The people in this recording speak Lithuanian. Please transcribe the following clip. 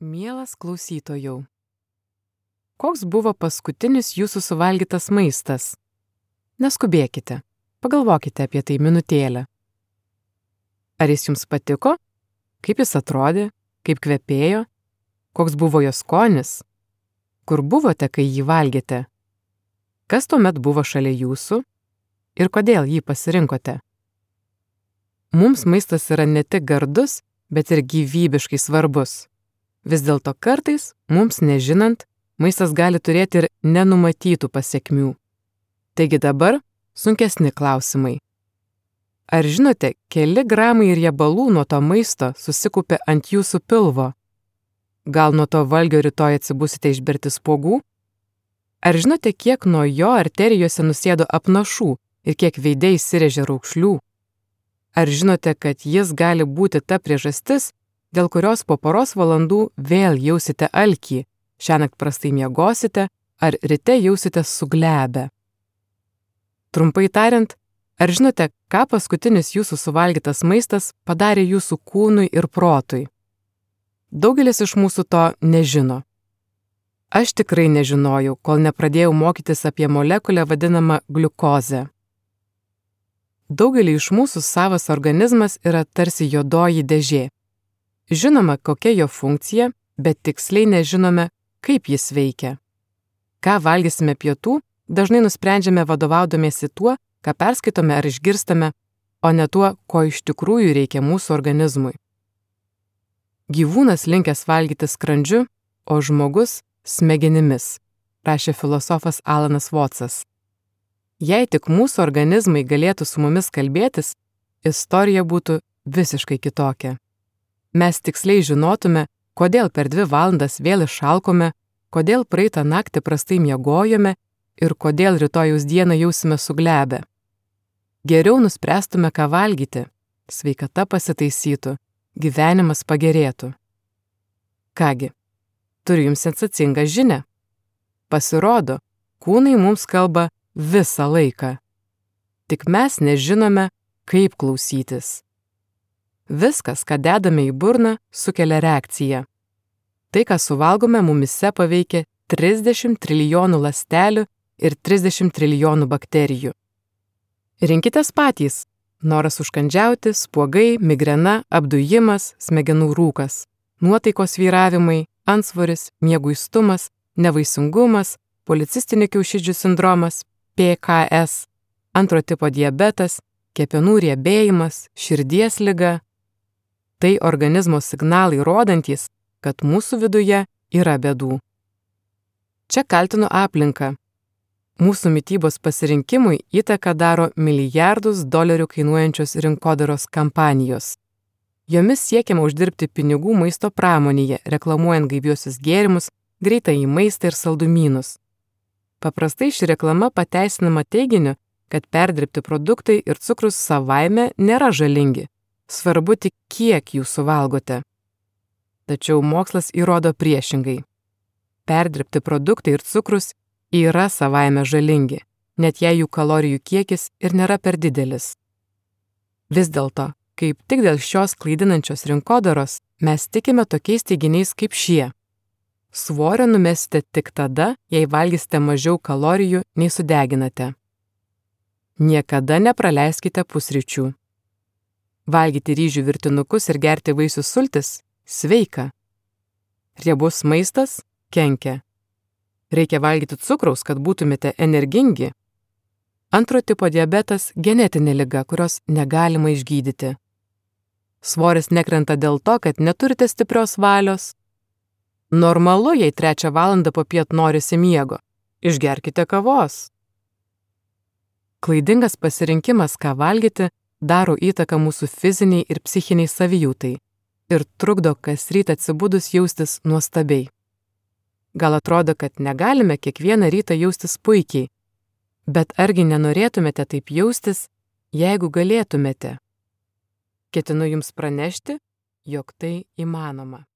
Mielas klausytojau, koks buvo paskutinis jūsų suvalgytas maistas? Neskubėkite, pagalvokite apie tai minutėlę. Ar jis jums patiko? Kaip jis atrodė? Kaip kvepėjo? Koks buvo jo skonis? Kur buvote, kai jį valgėte? Kas tuomet buvo šalia jūsų? Ir kodėl jį pasirinkote? Mums maistas yra ne tik gardus, bet ir gyvybiškai svarbus. Vis dėlto kartais, mums nežinant, maistas gali turėti ir nenumatytų pasekmių. Taigi dabar sunkesni klausimai. Ar žinote, keli gramai riebalų nuo to maisto susikaupė ant jūsų pilvo? Gal nuo to valgio rytoj atsibusite išberti spuogų? Ar žinote, kiek nuo jo arterijose nusėdo apnašų ir kiek veide įsirėžė raukšlių? Ar žinote, kad jis gali būti ta priežastis, dėl kurios po poros valandų vėl jausite alkį, šiąnakt prastai miegosite ar ryte jausite suglebę? Trumpai tariant, ar žinote, ką paskutinis jūsų suvalgytas maistas padarė jūsų kūnui ir protui? Daugelis iš mūsų to nežino. Aš tikrai nežinojau, kol nepradėjau mokytis apie molekulę vadinamą gliukozę. Daugelį iš mūsų savas organizmas yra tarsi juodoji dėžė. Žinoma, kokia jo funkcija, bet tiksliai nežinome, kaip jis veikia. Ką valgysime pietų, dažnai nusprendžiame vadovaudomėsi tuo, ką perskaitome ar išgirstame, o ne tuo, ko iš tikrųjų reikia mūsų organizmui. Gyvūnas linkęs valgyti skrandžiu, o žmogus smegenimis, rašė filosofas Alanas Votsas. Jei tik mūsų organizmai galėtų su mumis kalbėtis, istorija būtų visiškai kitokia. Mes tiksliai žinotume, kodėl per 2 valandas vėl išalkome, kodėl praeitą naktį prastai miegojome ir kodėl rytojaus dieną jausime suglebę. Geriau nuspręstume, ką valgyti, sveikata pasitaisytų, gyvenimas pagerėtų. Kągi, turiu jums sensacingą žinią. Pasirodo, kūnai mums kalba visą laiką. Tik mes nežinome, kaip klausytis. Viskas, ką dedame į burną, sukelia reakciją. Tai, ką suvalgome, mumyse paveikia 30 trilijonų ląstelių ir 30 trilijonų bakterijų. Rinkitės patys. Noras užkandžiauti, spuogai, migrena, apdujimas, smegenų rūkas, nuotaikos svyravimai, antsvoris, mieguistumas, nevaisingumas, policistinių kiaušidžių sindromas, PKS, antro tipo diabetas, kepenų riebėjimas, širdies liga. Tai organizmo signalai rodantys, kad mūsų viduje yra bėdų. Čia kaltinu aplinką. Mūsų mitybos pasirinkimui įtaką daro milijardus dolerių kainuojančios rinkodaros kampanijos. Jomis siekiama uždirbti pinigų maisto pramonėje, reklamuojant gaiviuosius gėrimus, greitąjį maistą ir saldumynus. Paprastai ši reklama pateisinama teiginiu, kad perdirbti produktai ir cukrus savaime nėra žalingi. Svarbu tik, kiek jų suvalgote. Tačiau mokslas įrodo priešingai. Perdirbti produktai ir cukrus yra savaime žalingi, net jei jų kalorijų kiekis ir nėra per didelis. Vis dėlto, kaip tik dėl šios klaidinančios rinkodaros, mes tikime tokiais teiginiais kaip šie. Svorio numesite tik tada, jei valgysite mažiau kalorijų nei sudeginate. Niekada nepraleiskite pusryčių. Valgyti ryžių virtinukus ir gerti vaisių sultis – sveika. Riebus maistas – kenkia. Reikia valgyti cukraus, kad būtumėte energingi. Antro tipo diabetas – genetinė liga, kurios negalima išgydyti. Svoris nekrenta dėl to, kad neturite stiprios valios. Normalu, jei 3 valandą popiet norisi miego. Išgerkite kavos. Klaidingas pasirinkimas, ką valgyti, daro įtaką mūsų fiziniai ir psichiniai savijautai ir trukdo kas rytą atsibudus jaustis nuostabiai. Gal atrodo, kad negalime kiekvieną rytą jaustis puikiai, bet argi nenorėtumėte taip jaustis, jeigu galėtumėte? Ketinu jums pranešti, jog tai įmanoma.